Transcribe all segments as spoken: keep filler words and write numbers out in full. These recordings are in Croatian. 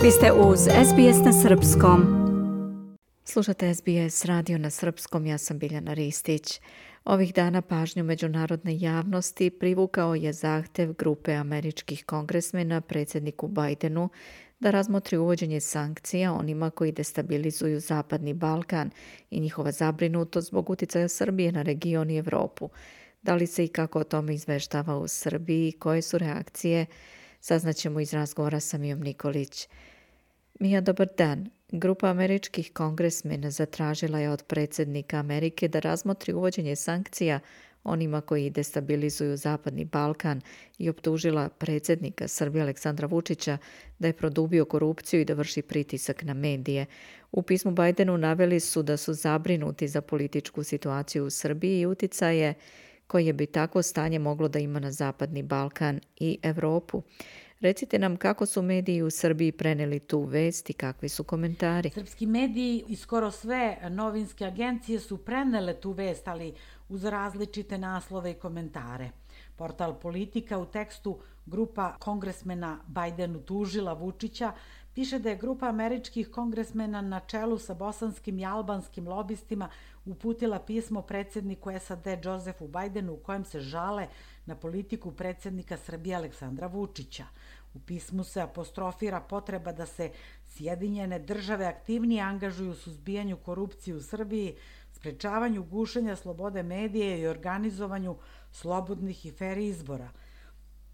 Vi ste uz S B S na srpskom. Slušate S B S radio na srpskom, ja sam Biljana Ristić. Ovih dana pažnju međunarodne javnosti privukao je zahtjev grupe američkih kongresmena predsjedniku Bidenu da razmotri uvođenje sankcija onima koji destabilizuju Zapadni Balkan i njihova zabrinutost zbog utjecaja Srbije na region i Europu. Da li se i kako o tome izveštava u Srbiji, koje su reakcije, saznaćemo iz razgovora sa Mijom Nikolić. Mija, dobar dan. Grupa američkih kongresmena zatražila je od predsjednika Amerike da razmotri uvođenje sankcija onima koji destabilizuju Zapadni Balkan i optužila predsjednika Srbije Aleksandra Vučića da je produbio korupciju i da vrši pritisak na medije. U pismu Bidenu naveli su da su zabrinuti za političku situaciju u Srbiji i utjecaje koje bi takvo stanje moglo da ima na Zapadni Balkan i Europu. Recite nam kako su mediji u Srbiji preneli tu vest i kakvi su komentari. Srpski mediji i skoro sve novinske agencije su prenele tu vest, ali uz različite naslove i komentare. Portal Politika u tekstu grupa kongresmena Bidenu tužila Vučića piše da je grupa američkih kongresmena na čelu sa bosanskim i albanskim lobistima uputila pismo predsjedniku S A D Josefu Bidenu u kojem se žale na politiku predsjednika Srbije Aleksandra Vučića. U pismu se apostrofira potreba da se Sjedinjene države aktivnije angažuju u suzbijanju korupcije u Srbiji, sprečavanju gušenja slobode medija i organizovanju slobodnih i fer izbora.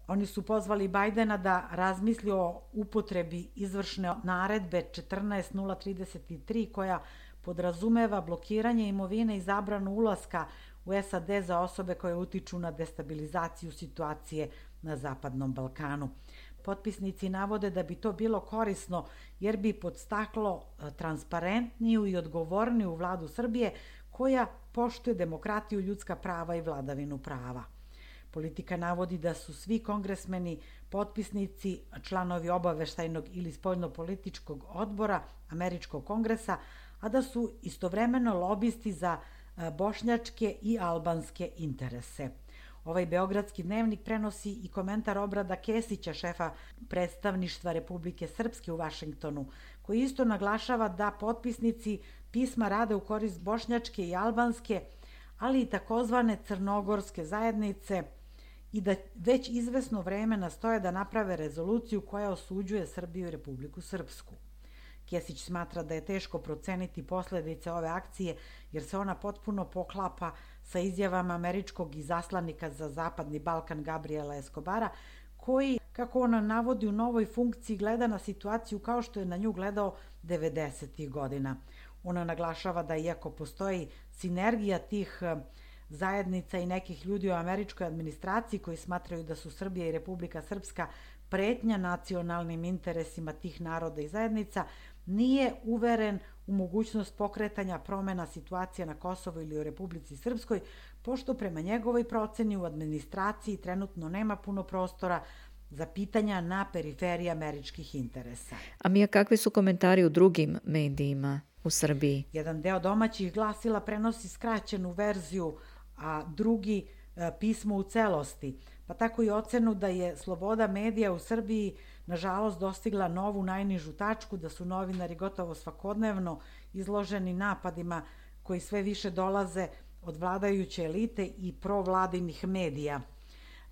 Oni su pozvali Bidena da razmisli o upotrebi izvršne naredbe četrnaest nula trideset tri koja podrazumeva blokiranje imovine i zabranu ulaska u S A D za osobe koje utiču na destabilizaciju situacije na Zapadnom Balkanu. Potpisnici navode da bi to bilo korisno jer bi podstaklo transparentniju i odgovorniju vladu Srbije koja poštuje demokratiju, ljudska prava i vladavinu prava. Politika navodi da su svi kongresmeni potpisnici članovi obaveštajnog ili spoljnopolitičkog odbora Američkog kongresa, a da su istovremeno lobisti za bošnjačke i albanske interese. Ovaj beogradski dnevnik prenosi i komentar Obrada Kesića, šefa predstavništva Republike Srpske u Vašingtonu, koji isto naglašava da potpisnici pisma rade u korist bošnjačke i albanske, ali i takozvane crnogorske zajednice i da već izvesno vreme nastoje da naprave rezoluciju koja osuđuje Srbiju i Republiku Srpsku. Kesić smatra da je teško proceniti posljedice ove akcije jer se ona potpuno poklapa sa izjavama američkog izaslanika za Zapadni Balkan Gabriela Escobara, koji, kako ona navodi, u novoj funkciji gleda na situaciju kao što je na nju gledao devedesetih godina. Ona naglašava da iako postoji sinergija tih zajednica i nekih ljudi u američkoj administraciji koji smatraju da su Srbija i Republika Srpska pretnja nacionalnim interesima tih naroda i zajednica, nije uveren u mogućnost pokretanja promjena situacije na Kosovu ili u Republici Srpskoj, pošto prema njegovoj proceni u administraciji trenutno nema puno prostora za pitanja na periferiji američkih interesa. A Mija, kakvi su komentari u drugim medijima u Srbiji? Jedan deo domaćih glasila prenosi skraćenu verziju, a drugi e, pismo u celosti, pa tako i ocenu da je sloboda medija u Srbiji nažalost dostigla novu najnižu tačku, da su novinari gotovo svakodnevno izloženi napadima koji sve više dolaze od vladajuće elite i provladinih medija.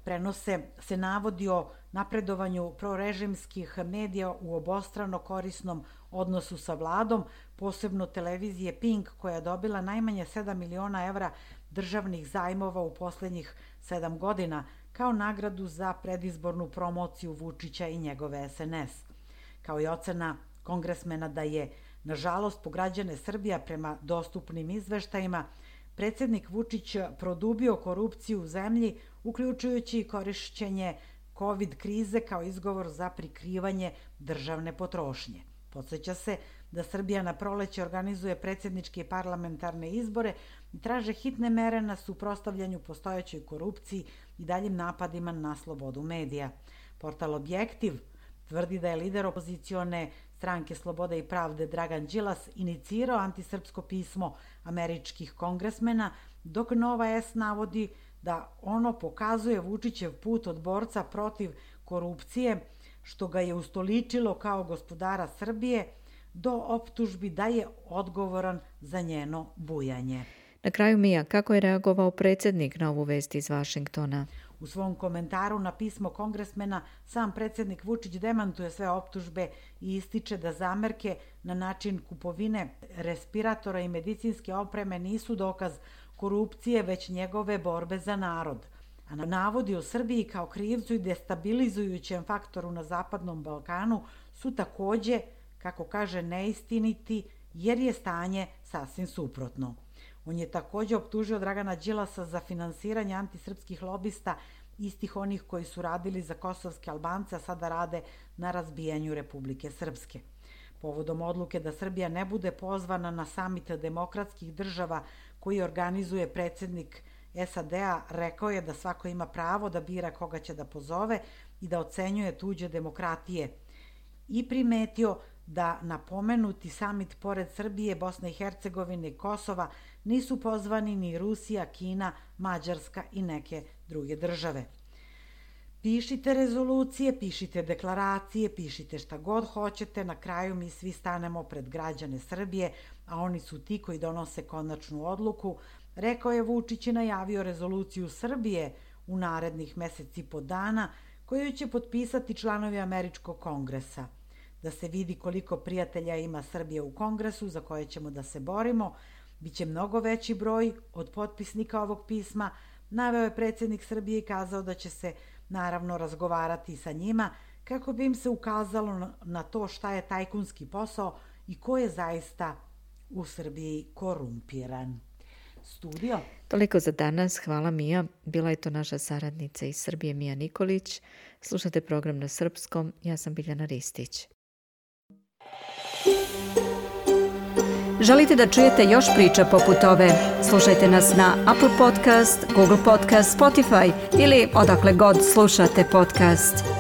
Prenose se navodi o napredovanju prorežimskih medija u obostrano korisnom odnosu sa vladom, posebno televizije Pink koja je dobila najmanje sedam miliona evra državnih zajmova u posljednjih sedam godina kao nagradu za predizbornu promociju Vučića i njegove S N S. Kao i ocena kongresmena da je, nažalost, po građane Srbija prema dostupnim izveštajima, predsjednik Vučić produbio korupciju u zemlji, uključujući i korišćenje COVID krize kao izgovor za prikrivanje državne potrošnje. Podsjeća se da Srbija na proleće organizuje predsjedničke i parlamentarne izbore i traže hitne mere na suprotstavljanju postojećoj korupciji i daljim napadima na slobodu medija. Portal Objektiv tvrdi da je lider opozicione stranke Slobode i pravde Dragan Đilas inicirao antisrpsko pismo američkih kongresmena, dok Nova S navodi da ono pokazuje Vučićev put od borca protiv korupcije što ga je ustoličilo kao gospodara Srbije, do optužbi da je odgovoran za njeno bujanje. Na kraju, Mija, kako je reagovao predsjednik na ovu vest iz Vašingtona? U svom komentaru na pismo kongresmena sam predsjednik Vučić demantuje sve optužbe i ističe da zamerke na način kupovine respiratora i medicinske opreme nisu dokaz korupcije, već njegove borbe za narod. A navodi o Srbiji kao krivcu i destabilizujućem faktoru na Zapadnom Balkanu su takođe, kako kaže, neistiniti, jer je stanje sasvim suprotno. On je takođe optužio Dragana Đilasa za finansiranje antisrpskih lobista, istih onih koji su radili za kosovske Albance, a sada rade na razbijanju Republike Srpske. Povodom odluke da Srbija ne bude pozvana na samit demokratskih država koji organizuje predsjednik S A D-a, rekao je da svako ima pravo da bira koga će da pozove i da ocenjuje tuđe demokratije. I primetio da na pomenuti samit pored Srbije, Bosne i Hercegovine i Kosova nisu pozvani ni Rusija, Kina, Mađarska i neke druge države. Pišite rezolucije, pišite deklaracije, pišite šta god hoćete, na kraju mi svi stanemo pred građane Srbije, a oni su ti koji donose konačnu odluku, rekao je Vučić i najavio rezoluciju Srbije u narednih meseci po dana, koju će potpisati članovi Američkog kongresa. Da se vidi koliko prijatelja ima Srbije u kongresu za koje ćemo da se borimo, biće mnogo veći broj od potpisnika ovog pisma, naveo je predsjednik Srbije i kazao da će se naravno razgovarati sa njima kako bi im se ukazalo na to šta je tajkunski posao i ko je zaista u Srbiji korumpiran. Studio. Toliko za danas. Hvala, Mija. Bila je to naša saradnica iz Srbije, Mija Nikolić. Slušate program na srpskom. Ja sam Biljana Ristić. Želite da čujete još priča poput ove? Slušajte nas na Apple Podcast, Google Podcast, Spotify ili odakle god slušate podcast.